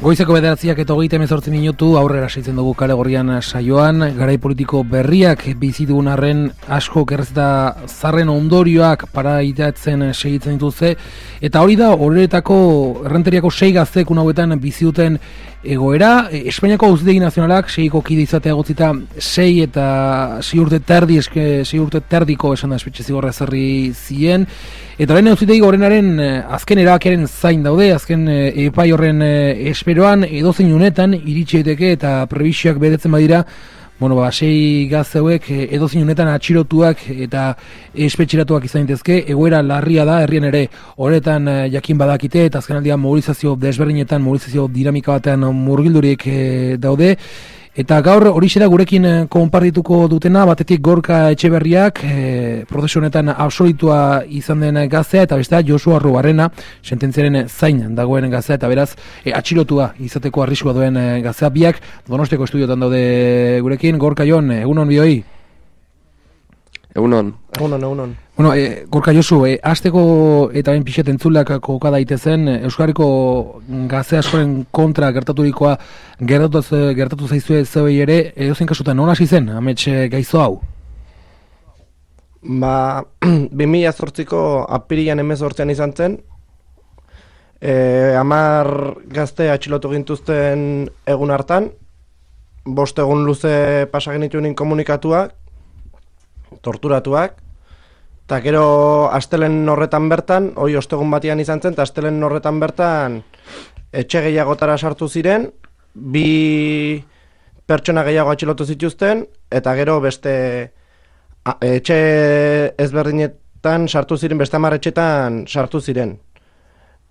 Goizeko 9:38 minutu aurrera segitzen dugu Kale Gorrian saioan, garai politiko berriak bizi dugun arren asko kerrezeta zarren ondorioak paraitatzen segitzen dituzte, eta hori da horretako errenteriako 6 gaztek hauetan bizi duten egoera. Espainiako Auzitegi Nazionalak 6ko kide izatea egotzita 6 eta 6 urte terdiko esan da espetxe zigorra ezarri zien, eta orain Auzitegi Gorenaren azken erabakiaren zain daude, azken epai horren esperoan edozein unetan iritsi daiteke eta prebisioak betetzen badira, 6 gazte hauek edozein unetan atxilotuak eta espetxeratuak izan daitezke. Egoera larria da, herrian ere horretan jakin badakite, eta azkenaldian mobilizazio desberdinetan, mobilizazio dinamika batean murgildurik daude. Eta gaur horixe da gurekin konpartituko dutena, batetik Gorka Etxeberriak, prozesu honetan absolutua izan den gaztea, eta bestea Josu Arrubarrena, sententziaren zain dagoen gaztea, eta beraz atxilotua izateko arriskua duen gaztea. Biak Donostiako estudiotan daude gurekin. Gorka, Jon, egunon bioi? Egunon. Gorka, Josu, hasteko eta bain pixet entzulak koka daitezen, Euskarriko gazte askoren kontra gertaturikoa gertatu zaizue zeuei ere, edozein kasutan nola hasi zen amets gaizo hau? 2008ko apirilan 18 izan zen, 10 gazte atxilotu gintuzten egun hartan, 5 egun luze pasa genituen komunikatuak, torturatuak, eta gero astelen horretan bertan, hoi ostegun batian izan zen, eta astelen horretan bertan etxe gehiagotara sartu ziren, 2 pertsona gehiago atxilotu zituzten, eta gero beste etxe ezberdinetan sartu ziren, beste 10 etxetan sartu ziren.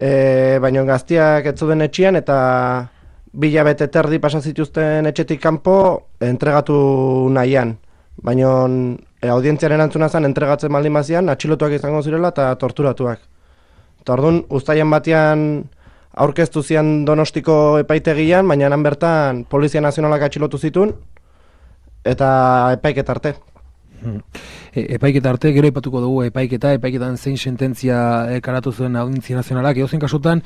Baina gaztiak ez zuden etxean, eta 2 hilabete terdi pasa zituzten etxetik kanpo entregatu nahian. Baina audientziaren antzuna zen entregatzen baldin bazian, atxilotuak izango zirela eta torturatuak. Eta orduan, uztailean batean aurkeztu zian Donostiko epaitegian, baina han bertan Polizia Nazionalak atxilotu zituen, eta epaiketa arte. Epaiketa arte, gero aipatuko dugu epaiketan zein sententzia karatu zuen Audientzia Nazionalak. Edozein kasutan,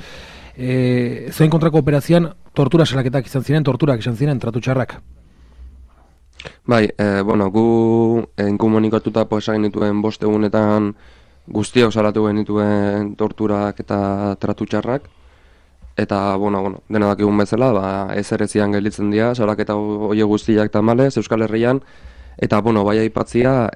zein kontrako operazioan tortura salaketak izan ziren, torturak izan ziren, tratu txarrak. Bai, gu inkomunikatuta esan genituen 5 egunetan guztiok salatu genituen torturak eta tratu txarrak, eta, dena dakigun bezala, ezer ezian gelditzen dira, salaketa hori guztiak tamalez Euskal Herrian, eta, bai aipatzia,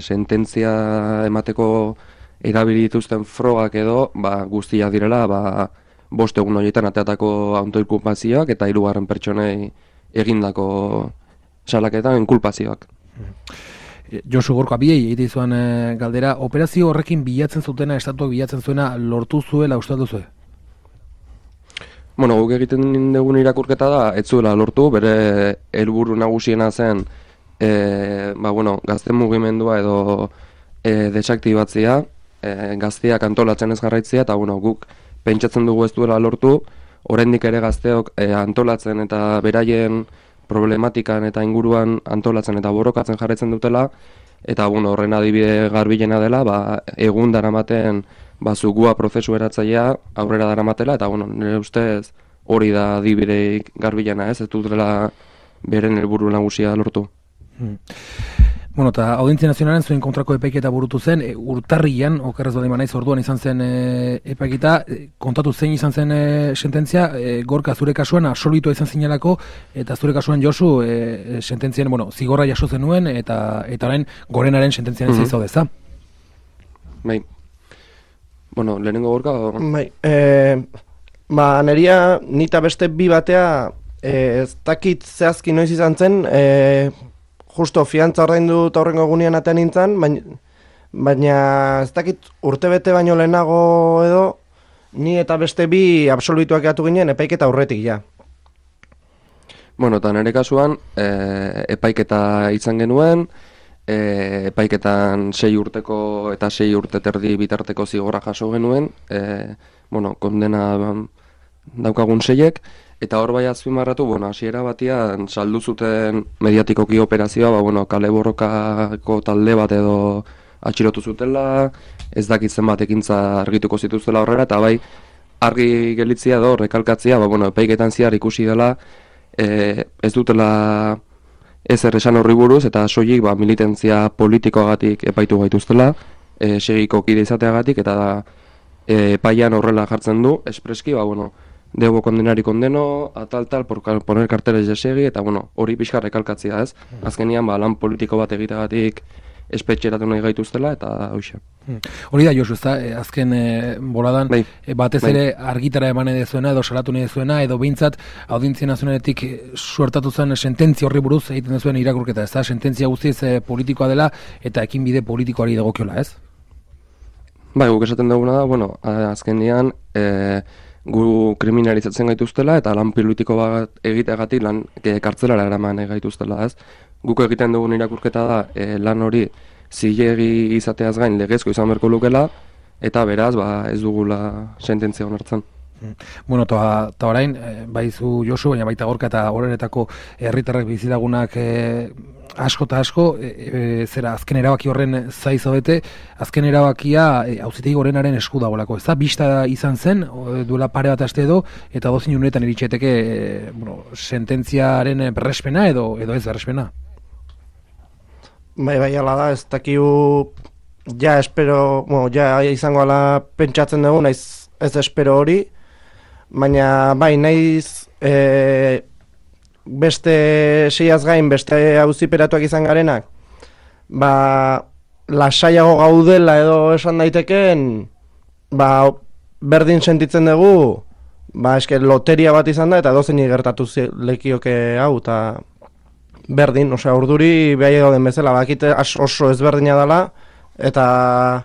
sententzia emateko erabili dituzten frogak edo, guztiak direla, 5 egun horietan ateatako autoinkulpazioak eta 3 pertsonei egindako salaketan inkulpazioak. Josu, Gorka, biei egite izan galdera, operazio horrekin bilatzen zutena, estatuak bilatzen zuena, lortu zuela, uste duzu? Guk egiten dugun irakurketa da, ez zuela lortu, bere helburu nagusiena zen, gazte mugimendua edo desaktibatzea, gazteak antolatzen ez jarraitzea, eta guk pentsatzen dugu ez duela lortu, oraindik ere gazteok antolatzen eta beraien problematikan eta inguruan antolatzen eta borrokatzen jarraitzen dutela, eta horren adibide garbilena dela, egun daramaten zugua prozesu eratzailea aurrera daramatela, eta nire ustez hori da adibide garbilena, ez dutela beren helburu nagusia lortu. Eta Audientzia Nazionalen zuen kontrako epaiketa burutu zen, urtarrian, okerrez baldin banaiz orduan izan zen epaiketa, kontatu zein izan zen sententzia, Gorka, zure kasuan absolutua izan zinelako, eta zure kasuan Josu, sententzien, zigorra jaso zenuen, eta orain Gorenaren sententziaren zaizau deza. Bai. Lehenengo Gorka? Bai. Neria, nita beste 2 batea, ez dakit zehazki noiz izan zen, justo fiantza ordaindu eta horrengo egunean atean nintzen, baina ez dakit urtebete baino lehenago edo, ni eta beste 2 absolutuak gatu ginen epaiketa aurretik ja. Eta nire kasuan, epaiketa izan genuen, epaiketan 6 urteko eta 6 urte terdi bitarteko zigorra jaso genuen, kondena daukagun 6ek, eta hor bai azpimarratu, hasiera batian saldu zuten mediatikoki operazioa, kale borrokako talde bat edo atxilotu zutela, ez dakitzen bat ekintza argituko zituztela horrela, eta bai argi gelitzia edo rekalkatzia, epaiketan zehar ikusi dela, ez dutela ezer esan horri buruz, eta soilik militantzia politikoagatik epaitu gaituztela, segiko kide izateagatik, eta epaian horrela jartzen du, espreski, debo kondenari kondeno, tal, por poner carteles de segi, eta hori pixka rekalkatzia, ez? Azkenian, lan politiko bat egiteagatik espetxeratu nahi gaituztela, eta hoxe. Hori da, Josu, azken boladan, batez ere argitara eman edezuena, edo salatu nahi dezuena, edo behintzat, audientzia nazionaletik suertatu zen sententzia horri buruz egiten dezuen irakurketa, ez da, sententzia guztiz politikoa dela, eta ekinbide politikoari dagokiola, ez? Guk esaten duguna da, azkenean, gu kriminalizatzen gaituztela, eta lan politiko bat egiteagatik lan kartzelara eraman gaituztela, ez? Guk egiten dugun irakurketa da, lan hori zilegi izateaz gain legezko izan berko lukela, eta beraz, ez dugula sententzia onartzen. Eta orain, baizu Josu, baina baita Gorka eta horretako herritarrak bizilagunak asko eta asko, zera azken erabaki horren zai zaudete, azken erabakia auzitegi gorenaren esku dagoelako. Ez da, bista izan zen, duela pare bat aste edo, eta dozin unetan iritseteke sententziaren berrespena edo ez berrespena. Bai, ala da, ez dakiu, ja izango ala pentsatzen dugu, naiz ez espero hori, baina naiz beste seiaz gain, beste auziperatuak izan garenak, lasaiago gaudela edo esan daiteken, berdin sentitzen dugu, loteria bat izan da, eta dozeini gertatu lekioke hau, eta berdin, urduri behai gauden bezala, bakite oso ezberdina dela, eta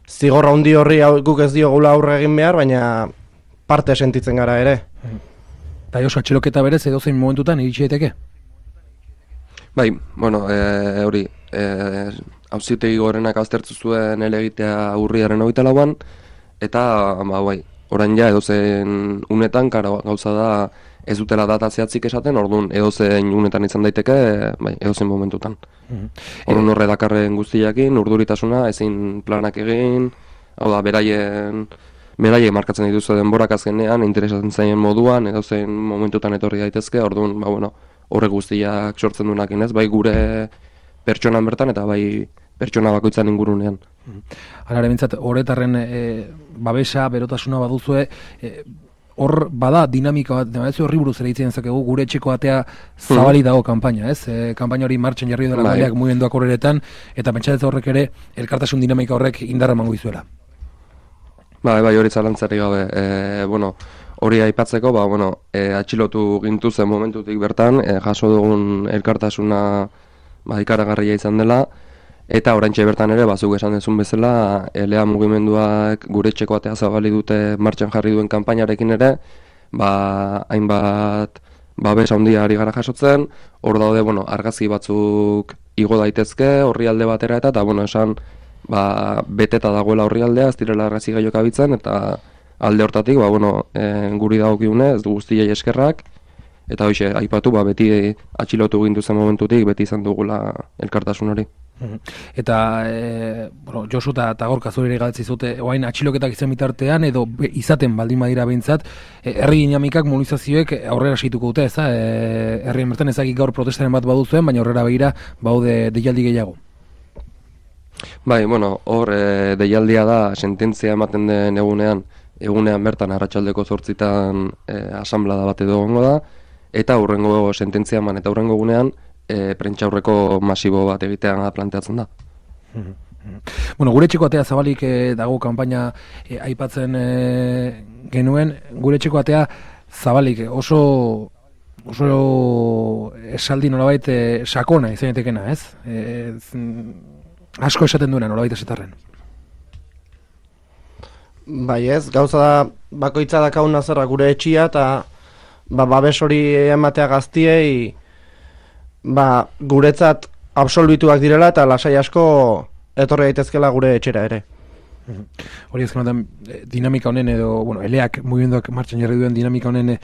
zigorra handi horri guk ez diogula aurre egin behar, baina parte sentitzen gara ere. Eta oso atxeloketa berez edozein momentutan iritsi daiteke? Hori, auzitegi gorenak aztertu zuen elegitea urriaren 24an, eta orain ja edozein unetan gauza da ez dutela data zehatzik esaten, orduan edozein unetan izan daiteke, edozein momentutan. Orduan horre dakarren guztiakin, urduritasuna, ezin planak egin, hau da, beraiek markatzen dituzu denborak azkenean, interesatzen zaien moduan, edozein momentutan etorri daitezke, orduan, horre guztiak sortzen duenakin ez, bai gure pertsonan bertan, eta bai pertsona bakoitzan ingurunean. Hala, bintzat, horretarren babesa, berotasuna baduzue, hor bada dinamika bat, ez horri buruz ere hitzen zakegu, gure etxeko atea zabali dago kanpaina, ez? Kanpaina hori martxan jarri dela galeak mugimenduak horretan, eta pentsatzen horrek ere, elkartasun dinamika horrek indarra emango dizuela. Hori zalantzari gabe. Hori aipatzeko, atxilotu gintuzen momentutik bertan, jaso dugun elkartasuna ikaragarria izan dela, eta oraintxe bertan ere, zuk esan dezun bezala, LA mugimenduak gure etxeko atea zabali dute martxan jarri duen kanpainarekin ere, hainbat babes handia ari gara jasotzen, hor daude, argazki batzuk igo daitezke horri alde batera eta esan, beteta dagoela horri aldea, ez direla argazki gaiok abitzen, eta alde hortatik, guri dagokiune, ez du guztiei eskerrak, eta hoxe, aipatu, beti atxilotu gintuzen momentutik, beti izan dugula elkartasun hori. Eta, Josu eta Gorka zure galtzi zute, oain atxiloketak izan bitartean, edo izaten baldin badira behintzat, herri dinamikak, mobilizazioek aurrera segituko dute, ez da? Herrien bertan ezagik gaur protestaren bat baduzuen, baina aurrera begira baude deialdi gehiago. Hor deialdia da, sententzia ematen den egunean bertan arratsaldeko 8 asamblada bat edo gongo da, eta hurrengo sententzia eman eta hurrengo egunean prentsaurreko masibo bat egitean planteatzen da. Gure etxeko atea zabalik dago kanpaina aipatzen genuen, gure etxeko atea zabalik oso esaldi nolabait sakona izan etekena, ez? Asko esaten duena nolabait esetarren. Ez, gauza da bakoitza dakauna zerra gure etxia eta babes hori ematea gaztiei guretzat absolbituak direla eta lasai asko etorri daitezkela gure etxera ere. Hori ezken dinamika honen edo, eleak mugimenduak martxan jarri duen dinamika honen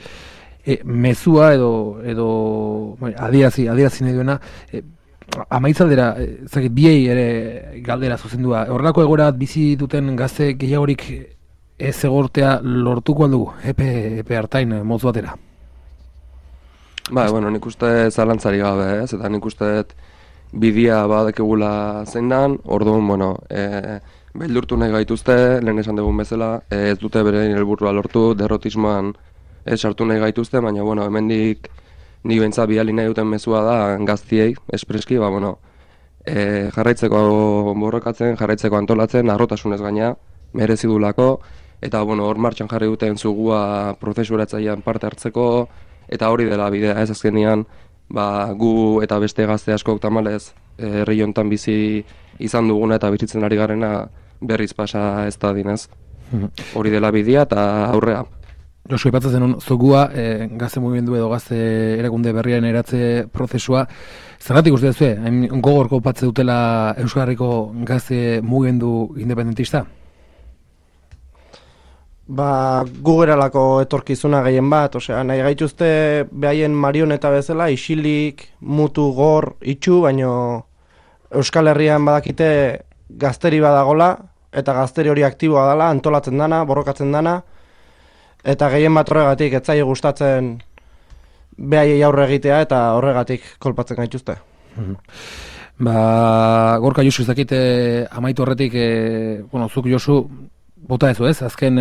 mezua edo adierazi nahi duena, amaitzaldera, biei ere galdera zuzendua. Horrelako egoera bizi duten gazte gehiagorik ez egortea lortuko aldugu, epe hartain motz batera? Bueno, nik uste zalantzari gabe, ez? Eta nik uste bidia badakegula zein dan, orduan, beldurtu nahi gaituzte, lehen esan dugun bezala, ez dute bere helburua lortu, derrotismoan sartu nahi gaituzte, baina, hemendik nik behintzat bidali nahi duten mezua da gaztiei, espreski, jarraitzeko borrokatzen, jarraitzeko antolatzen, harrotasunez gaina, merezi dulako, eta, hor martxan jarri duten zugua prozesuratzailean parte hartzeko, eta hori dela bidea, ez azkenean, gu eta beste gazte askok tamalez herri hontan bizi izan duguna eta bizitzen ari garena berriz pasa ez da dinez. Hori dela bidea eta aurrea. Josu, aipatzen zenun, zogua, gazte mugimendu edo gazte erakunde berriaren eratze prozesua, zergatik uste duzue, hain gogorko patze dutela Euskal Herriko gazte mugimendu independentista? Gu geralako etorkizuna gehien bat, nahi gaituzte behaien marioneta bezala, isilik, mutu, gor, itxu, baino Euskal Herrian badakite gazteri badagola, eta gazteri hori aktiboa dela, antolatzen dana, borrokatzen dana, eta gehien bat horregatik, ez zaie gustatzen behaiei aurre egitea, eta horregatik kolpatzen gaituzte. Gorka Josu, ez dakite amaitu horretik, zuk Josu, bota ez, azken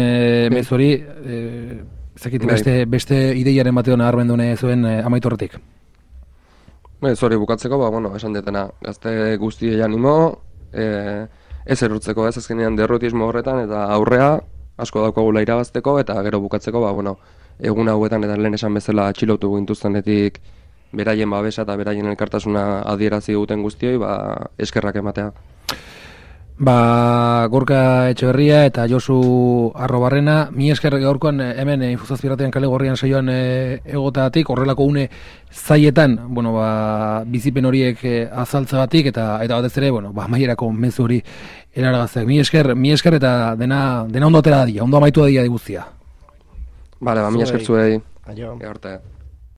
mezori, beste ideiaren batean arbendu zuen amaitu horretik. Hori bukatzeko, esan detena, gazte guztiei animo, ez erurtzeko ez azkenean derrotismo horretan, eta aurrea asko daukagula irabazteko, eta gero bukatzeko, egun hauetan eta lehen esan bezala atxilotu gintuztenetik beraien babesa eta beraien elkartasuna adierazi duten guztioi, eskerrak ematea. Gorka Etxeberria eta Josu Arrobarrena, mi esker gaurkoan hemen Infuzazpiratean kale gorrian saioan egotatik, horrelako une zaietan, bizipen horiek azaltzagatik eta batez ere, maierako mezu hori eraragazteak. Mi esker eta dena ondo atera da, ondo amaitu da guztia. Mi esker zuei. Aio. Arte.